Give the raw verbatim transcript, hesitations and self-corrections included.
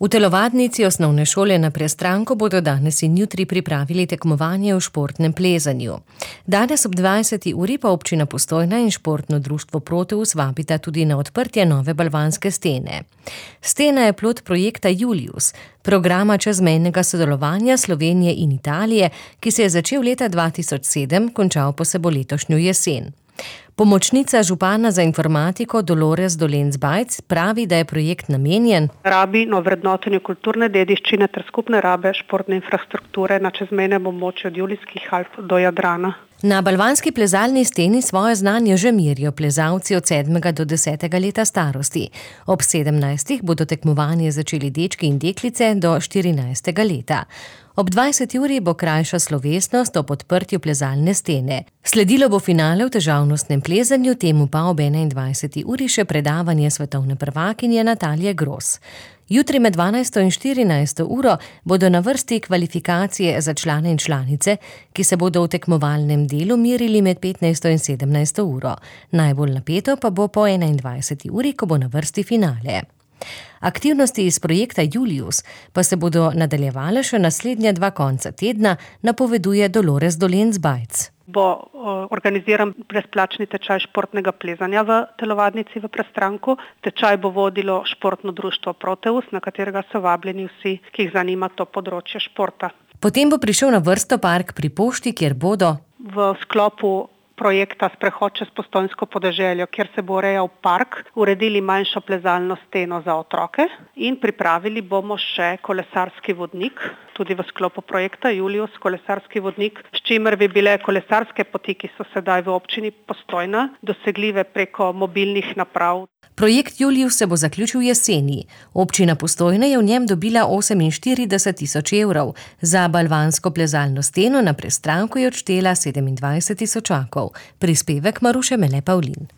V telovadnici osnovne šole na Prestranku bodo danes in jutri pripravili tekmovanje v športnem plezanju. Danes ob dvajseti uri pa občina Postojna in športno društvo Proteus vabita tudi na odprtje nove balvanske stene. Stena je plod projekta Julius, programa čezmejnega sodelovanja Slovenije in Italije, ki se je začel leta dva tisoč sedem, končal pa se bo letošnjo jesen. Pomočnica župana za informatiko Dolores Dolenc-Bajc pravi, da je projekt namenjen rabi na vrednotenju kulturne dediščine ter skupne rabe športne infrastrukture na čezmejnem območju od Julijskih Alp do Jadrana. Na balvanski plezalni steni svoje znanje že merijo plezalci od sedmega do desetega leta starosti. Ob sedemnajstih bodo tekmovanje začeli dečki in deklice do štirinajstega leta. Ob dvajseti uri bo krajša slovesnost ob odprtju plezalne stene. Sledilo bo finale v težavnostnem plezanju, temu pa ob enaindvajseti uri še predavanje svetovne prvakinje Natalije Gros. Jutri med dvanajsto in štirinajsto uro bodo na vrsti kvalifikacije za člane in članice, ki se bodo v tekmovalnem delu merili med petnajsto in sedemnajsto uro. Najbolj napeto pa bo po enaindvajseti uri, ko bo na vrsti finale. Aktivnosti iz projekta Julius pa se bodo nadaljevale še naslednja dva konca tedna, napoveduje Dolores Dolenc-Bajc. Bo organiziran brezplačni tečaj športnega plezanja v telovadnici v Prestranku. Tečaj bo vodilo športno društvo Proteus, na katerega so vabljeni vsi, ki jih zanima to področje športa. Potem bo prišel na vrsto park pri pošti, kjer bodo v sklopu projekta Sprehod čez Postojnsko podeželje, kjer se bo urejal park, uredili manjšo plezalno steno za otroke in pripravili bomo še kolesarski vodnik, tudi v sklopu projekta Julius kolesarski vodnik, s čimer bi bile kolesarske poti, ki so sedaj v občini Postojna, dosegljive preko mobilnih naprav. Projekt Julius se bo zaključil jeseni. Občina Postojna je v njem dobila oseminštirideset tisoč evrov. Za balvansko plezalno steno na Prestranku je odštela sedemindvajset tisočakov. Prispevek Maruše Mele Pavlin.